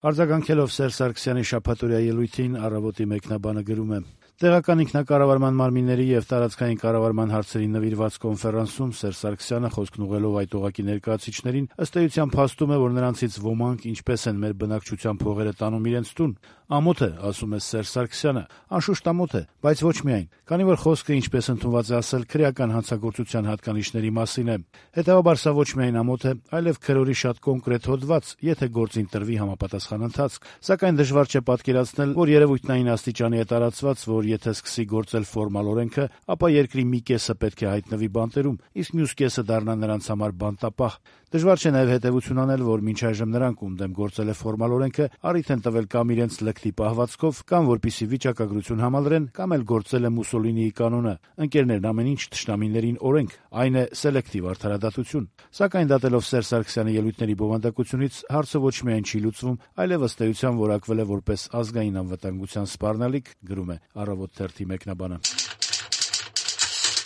Արձագանքելով Սերժ Սարգսյանի շաբաթօրյա ելույթին «Առավոտ»-ի մեկնաբանը գրում է. «Տեղական ինքնակառավարման մարմինների եւ տարածքային կառավարման հարցերին նվիրված կոնֆերանսում Սերժ Սարգսյանը խոսքն ուղղելով այդ օղակի ներկայացուցիչներին ըստ էության փաստում է, որ նրանցից ոմանք ինչպես են մեր բնակչության փողերը տանում իրենց տուն։ Ամոթ է, ասում է Սերժ Սարգսյանը, անշուշտ ամոթ է, բայց ոչ միայն, քանի որ խոսքը, ինչպես ընդունված է ասել, քրեական հանցագործության հատկանիշների մասին է։ Հետեւաբար սա ոչ միայն ամոթ է, այլև քրորի շատ կոնկրետ հոդված, եթե գործին տրվի համապատասխան ընթացք։ Սակայն դժվար չէ պատկերացնել, որ երևույթն այն աստիճանի է տարածված, որ եթե սկսի գործել ֆորմալ օրենքը, ապա երկրի մի կեսը պետք է հայտնվի բանտերում, իսկ մյուս կեսը դառնա նրանց համար բանտապահ։ Դժվար չէ նաև հետևություն անել, որ մինչ այժմ նրանք, ում դեմ գործել է ֆորմալ օրենքը, առիթ են տվել կամ իրենց լկտի պահվածքով, կամ որպեսզի վիճակագրություն համալրեն, կամ էլ գործել է Մուսոլինիի կանոնը։ Ընկերներն ամեն ինչ թշնամիներին օրենք, այն է սելեկտիվ արդարադատություն։ Սակայն դատելով Սերժ Սարգսյանի ելույթների բովանդակությունից հարցը ոչ միայն չի լուծվում, այլև ըստ էության որակվել է որպես ազգային անվտանգության սպառնալիք, գրում է «Առավոտ» թերթի մեկնաբանը։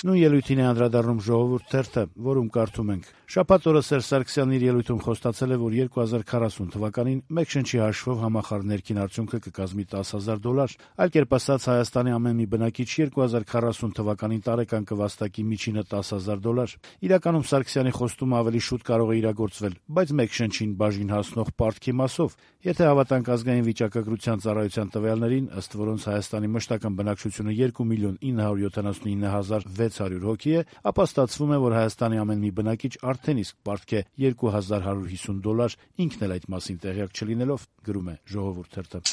Նույն ելույթին է անդրադառնում «Ժողովուրդ» թերթը, որում կարդում ենք. «Շաբաթ օրը Սերժ Սարգսյանն իր ելույթում խոստացել է, որ 2040 թվականին մեկ շնչի հաշվով համախառն ներքին արդյունքը կկազմի $10,000, այլ կերպ ասած Հայաստանի ամեն մի բնակիչ 2040 թվականին տարեկան կվաստակի միջինը $10,000։ Իրականում Սարգսյանի խոստումը ավելի շուտ կարող է իրագործվել, բայց մեկ շնչին բաժին հասնող պարտքի մասով։ Եթե հավատանք ազգային վիճակագրության ծառայության տվյալներին, ըստ որոնց Հայաստանի մշտական բնակչությունը 2,979,600 հոգի է, ապա ստացվում է, որ Հայաստանի ամեն մի բնակիչ արդեն իսկ պարտք է $2,150, ինքն էլ այդ մասին տեղյակ չլինելով», գրում է «Ժողովուրդ» թերթը։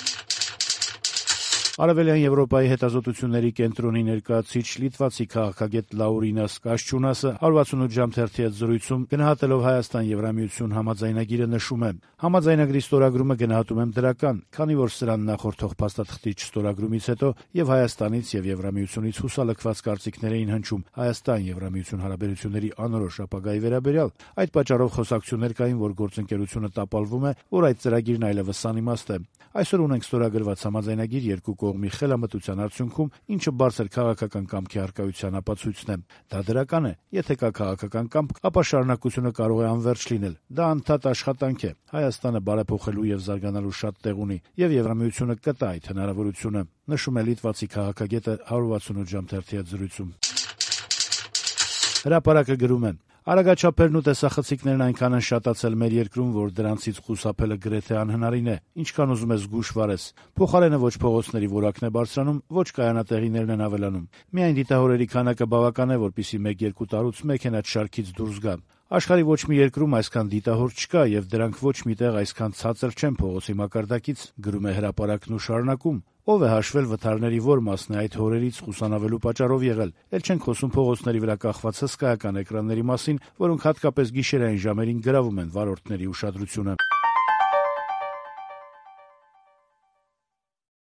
Արևելյան Եվրոպայի հետազոտությունների կենտրոնի ներկայացուցիչ լիտվացի քաղաքագետ Լաուրինաս Կաշչունասը 168 ժամ թերթի հետ զրույցում գնահատելով Հայաստան-Եվրամիություն համաձայնագիրը նշում է. «Համաձայնագրի ստորագրումը գնահատում եմ դրական, քանի որ սրան նախորդող փաստաթղթի չստորագրումից հետո եւ Հայաստանից եւ Եվրամիությունից հուսալքված կարծիքներ էին հնչում Հայաստան-Եվրամիություն հարաբերությունների անորոշ ապագայի վերաբերյալ։ Այդ պատճառով խոսակցություններ կային, որ գործընկերությունը տապալվում է, որ այդ ծրագիրն այլևս անիմաստ է։ Այսօր ունենք ստորագրված համաձայնագիր երկու կողմի խելամտության արդյունքում, ինչը բարձր քաղաքական կամքի առկայության ապացույցն է։ Դա դրական է։ Եթե կա քաղաքական կամք, ապա շարունակությունը կարող է անվերջ լինել։ Դա անդադար աշխատանք է։ Հայաստանը բարեփոխելու եւ զարգանալու շատ տեղ ունի, եւ Եվրամիությունը կտա այդ հնարավորությունը», նշում է լիտվացի քաղաքագետը 168 ժամ թերթի հետ զրույցում։ Հրապարակը գրում է. «Արագաչափերն ու տեսախցիկներն այնքան են շատացել մեր երկրում, որ դրանցից խուսափելը գրեթե անհնարին է, ինչքան ուզում ես զգուշ վարես։ Փոխարենը ոչ փողոցների որակն է բարձրանում, ոչ կայանատեղիներն են ավելանում։ Միայն դիտահորերի քանակը բավական է, որպեսզի 1-2 տարուց մեքենադ շարքից դուրս գա։ Աշխարհի ոչ մի երկրում այսքան դիտահոր չկա եւ դրանք ոչ միտեղ այսքան ցածր չեն փողոցի մակարդակից», գրում է հրապարակն ու շարունակում. «Ով է հաշվել վթարների որ մասն է այդ հորերից խուսանավելու պատճառով եղել։ Էլ չենք խոսում փողոցների վրա կախված հսկայական էկրանների մասին, որոնք հատկապես գիշերային ժամերին գրավում են վարորդների ուշադրությունը»։